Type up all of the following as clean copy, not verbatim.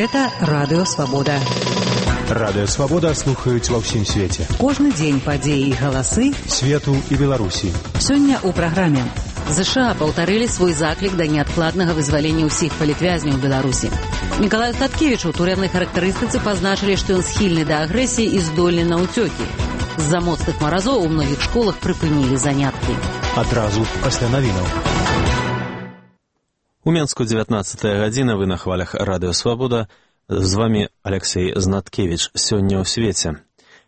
Гэта Радыё Свабода. Радыё Свабода слухаюць ва ўсім свеце. Кожны дзень падзеі і галасы свету і Беларусі. Сёння ў праграме. ЗША паўтарылі свой заклік да неадкладнага вызвалення ўсіх палітвязняў Беларусі. Мікалаю Статкевічу ў турэмнай характарыстыцы пазначылі, што ён схільны да агрэсіі і здольны на ўцёкі. З-за моцных маразоў у многіх школах прыпынілі заняткі. Адразу пасля навінаў. У Менску 19 гадзіна, вы на хвалях Радыё Свабода. З вами Алексей Знаткевич. Сёння ў свеце.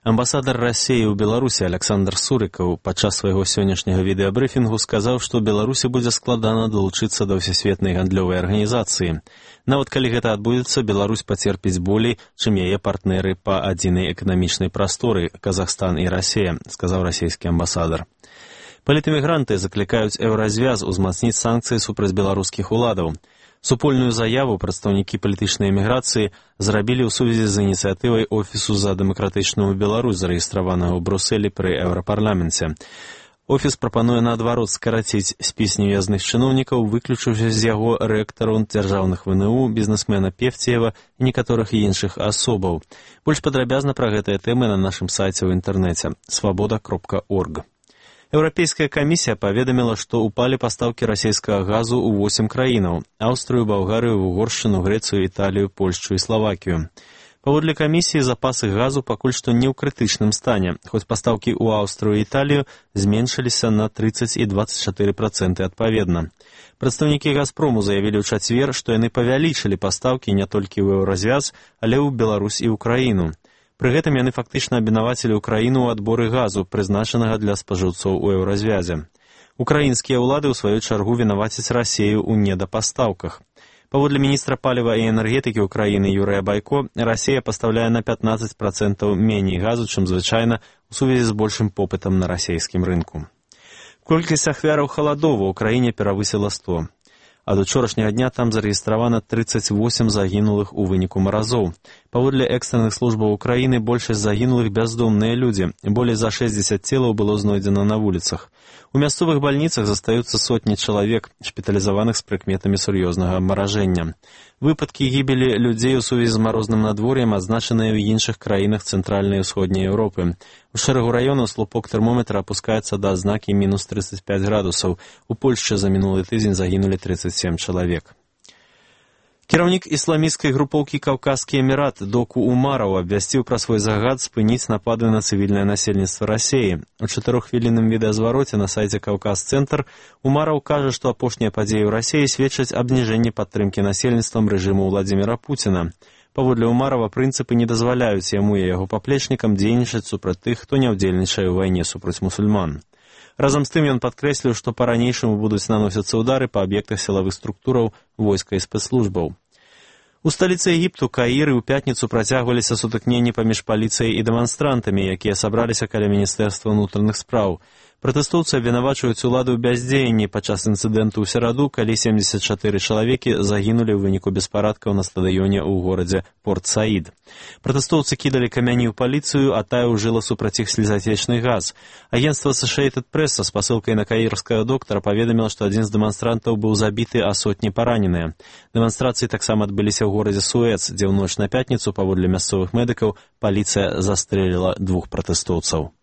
Амбасадар Расіі ў Беларусі Александр Сурыкаў падчас свайго сённяшняга відэабрыфінгу сказаў, што Беларусі будзе складана далучыцца да ўсесветнай гандлёвай арганізацыі. Нават калі гэта адбудзецца, Беларусь пацерпіць болей, чым яе партнеры па адзінай эканамічнай прасторы Казахстан і Расія, сказаў расійскі амбасадар. Палітэмігранты заклікаюць Еўразвяз узмацніць санкцыі супраць беларускіх уладаў. Супольную заяву прадстаўнікі палітычнай эміграцыі зрабілі ў сувязі з ініцыятывай Офісу за дэмакратычную Беларусь, зарэгістраванага ў Брусэлі пры Еўрапарламенце. Офіс прапануе наадварот скараціць спіс невязных чыноўнікаў, выключыўшы з яго рэктараў дзяржаўных ВНУ, бізнесмена Певцеева і некаторых іншых асобаў. Больш падрабязна пра гэтыя тэмы на нашым сайце ў інтэрнэце свабода.орг. Еўрапейская камісія паведаміла, што ўпалі пастаўкі расійскага газу ў 8 краінаў – Аўстрыю, Балгарыю, Угоршчыну, Грэцыю, Італію, Польшчу і Славакію. Паводле камісіі, запасы газу пакуль што не ў крытычным стане, хоць пастаўкі ў Аўстрыю і Італію зменшыліся на 30 і 24% адпаведна. Прадстаўнікі «Газпрому» заявілі ў чацвер, што яны павялічылі пастаўкі не толькі ў Еўразвяз, але ў Беларусь і ўкраіну. Пры гэтым яны фактычна абвінавацілі ўкраіну ў адборы газу, прызначанага для спажыўцоў у Еўразвязе. Украінскія ўлады, ў сваю чаргу, вінавацяць Расію ў недапастаўках. Паводле міністра паліва і энергетыкі ўкраіны Юрыя Байко, Расія пастаўляе на 15% меней газу, чым звычайна, у сувязі з большым попытам на расійскім рынку. Колькасць ахвяраў халадоў у краіне перавысіла 100. Ад учорашняга дня там зарэгістравана 38 загінулых у выніку маразоў. Паводле экстранных службаў Украіны большасць загінулых бяздомныя людзі. Болей за 60 целаў было знойдзена на вуліцах. У мясцовых бальніцах застаюцца сотні чалавек, шпіталізаваных з прыкметамі сур'ёзнага абмаражэння. Выпадкі гібелі людзей у сувязі з марозным надвор'ем адзначаныя ў іншых краінах цэнтральнай і ўсходняй Еўропы. У шэрагу раёнаў слупок тэрмометра апускаецца да адзнакі мінус 35 градусаў. У Польшчы за мінулы тыдзень загінулі 37 чалавек. Кіраўнік ісламісцкай групоўкі «Каўказскі эмірат» Доку Умараў абвясціў пра свой загад спыніць напады на цывільнае насельніцтва Расіі. У 4-хвілінным відэазвароце на сайце «Каўказ-цэнтр» Умараў кажа, што апошнія падзеі ў Расіі сведчаць аб зніжэнні падтрымкі насельніцтвам рэжыму Владзіміра Пуціна. Паводле Умарава, прынцыпы не дазваляюць яму і яго паплечнікам дзейнічаць супраць тых, хто не ўдзельнічае ў вайне супраць мусульман. Разам з тым ён падкрэсліў, што па-ранейшаму будуць наносіцца ўдары па аб'ектах сілавых структураў, войска і спецслужбаў. У сталіцы Егіпту, Каіры, ў пятніцу працягваліся сутыкненні паміж паліцыяй і дэманстрантамі, якія сабраліся каля Міністэрства ўнутраных спраў. Пратэстоўцы абвінавачваюць уладу ў бяздзеянні падчас інцыдэнту ў сераду, калі 74 чалавекі загінулі ў выніку беспарадкаў на стадыёне ў горадзе Порт-Саід. Пратэстоўцы кідалі камяні ў паліцыю, а тая ўжыла супраць іх слізацечны газ. Агенцтва Associated Press са спасылкай на каірскага доктара паведаміла, што адзін з дэманстрантаў быў забіты, а сотні параненыя. Дэманстрацыі таксама адбыліся ў горадзе Суэц, дзе ў ноч на пятніцу, паводле мясцовых медыкаў, паліцыя застрэліла 2 пратэстоўцаў.